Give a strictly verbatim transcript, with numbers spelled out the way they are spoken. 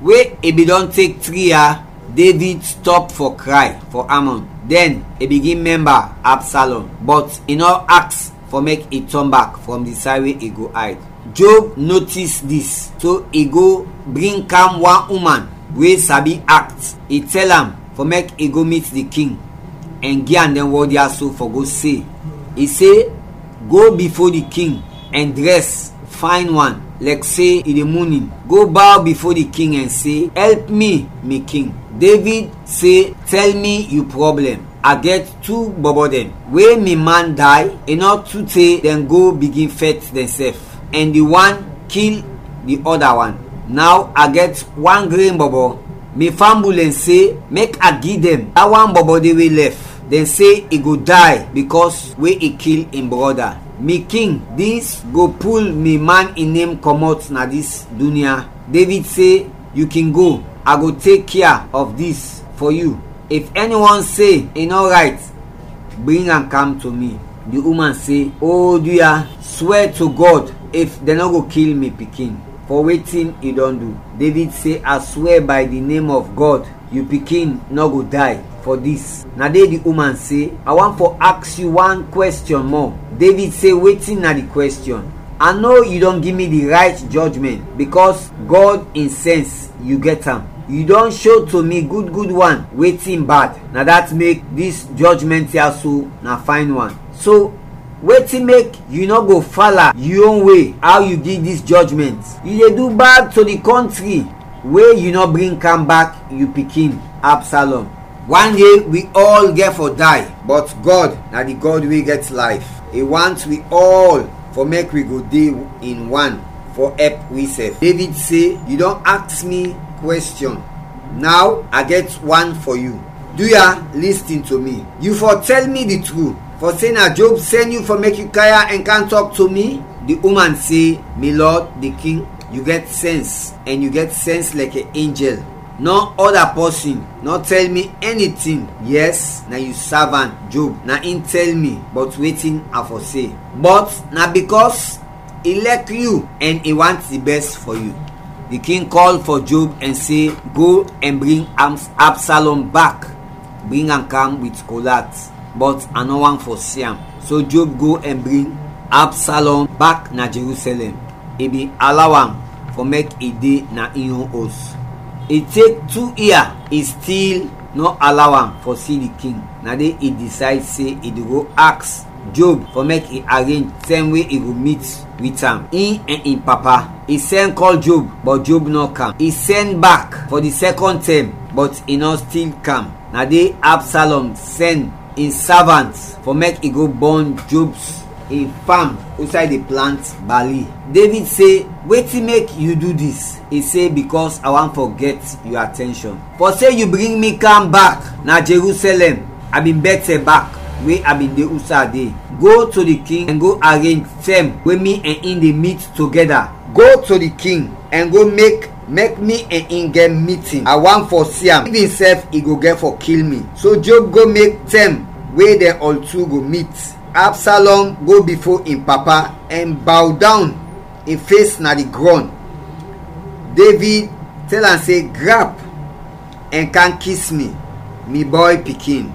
We i bin dɔn tek tri yia, David stɔp fɔ kray fɔ Amnon. Dɛn i bigin mɛmba Absalom, bɔt i nɔ aks fɔ mek i tɔn bak frɔm di say we i go ayd. Job notis dis, so i go bring kam wan uman we sabi akt. I tɛl am fɔ mek i go mit di king ɛn gi am dɛn wɔd ya so fɔ go se. I se, go bifo di king ɛn drɛs fayn wan, lɛk se i de munin. Go baw bifo di king ɛn se, ɛlp mi, mi king. David se, tɛl mi yu prɔblɛm. A gɛt tu bɔbɔ dɛn. We mi man day, i nɔ tu te dɛn go bigin fɛt dɛnsɛf, ɛn di wan kil di ɔda wan. Naw a gɛt wan gren bɔbɔ. Mi fambul ɛn se, mek a gi dɛn da wan bɔbɔ de we lɛf. Dɛn se i go day bikɔs we i kil in brɔda. Mi king, dis go pul mi man in nem kɔmɔt na dis dunya. David se, yu kin go, a go tek kia of dis fɔ yu. If ɛniwan se i nɔ rayt, bring am kam to mi. Di uman se, o du ya, swɛ to Gɔd, if dɛn nɔ go kil mi pikin fɔ wetin i dɔn du. David se, a swɛ bay di nem of Gɔd, yu pikin nɔ go day fɔ dis. Na de di uman se, a want fɔ aks yu wan kwɛstiɔn mɔ. David se, wetin na di kwɛstiɔn? A no yu dɔn gi mi di rayt jɔjmɛnt, bikɔs Gɔd in sɛns yu gɛt am. Yu dɔn sho to mi gud gud wan wetin bad, na dat mek dis jɔjmɛnt ya so na fayn wan. So, wetin mek yu nɔ go fala yu yon we, aw yu gi dis jɔjmɛnt? Yu de du bad to di kɔntri we yu nɔ bring kam bak yu pikin, Absalom. Wan de wi ɔl gɛt fɔ day, bɔt Gɔd na di Gɔd we gɛt layf. I want wi ɔl fɔ mek wi go de in wan fɔ ɛp wisɛf. David se, yu dɔn aks mi kwɛstiɔn, naw a gɛt wan fɔ yu. Du ya, listin to mi. Yu fɔ tɛl mi di tru, fɔ se na Job sɛn yu fɔ mek yu kam ya ɛn kam tɔk to mi? Di uman se, mi lɔd, di king, yu gɛt sɛns, ɛn yu gɛt sɛns lɛkɛ enjɛl. Nɔ ɔda pɔsin nɔ tɛl mi ɛnitin. Yɛs, na yu savant Job, na in tɛl mi bɔt wetin a fɔ se. Bɔt na bikɔs i lɛk yu ɛn i want di bɛs fɔ yu. Di king kɔl fɔ Job ɛn se, go ɛn bring Abs-, Absalom bak, bring am kam wit kolat, bɔt a nɔ want fɔ si am. So Job go ɛn bring Absalom bak na Jerusɛlɛm. I bin alaw am fɔ mek i de na in yon os. I tek tu ia, i stil nɔ alaw am fɔ si di king. Na de i disayd se i de go aks Job fɔ mek i arenj tɛm we i go mit wit am, in ɛn in papa. I sɛn kɔl Job, bɔt Job nɔ kam. I sɛn bak fɔ di sɛkɔn tɛm, bɔt i nɔ stil kam. Na de Absalom sɛn in savant fɔ mek i go bɔn Job in fam usay de plant bali. David se, wetin mek yu du dis? I se, bikɔs a want fɔ gɛt yu atɛnshɔn. Fɔ se yu bring mi kam bak na Jerusɛlɛm, a bin bɛtɛ bak we a bin de usay a de. Go to di king ɛn go arenj tɛm we mi ɛn in de mit togɛda. Go to di king ɛn go mek mek mi ɛn in gɛt mitin. A want fɔ si am, if insɛf i go gɛt fɔ kil mi. So Job go mek tɛm we dɛn ɔl tu go mit. Absalom go bifo in papa ɛn baw dawn in fes na di grɔn. David tɛl am se, grap ɛn kam kis mi, mi bɔy pikin.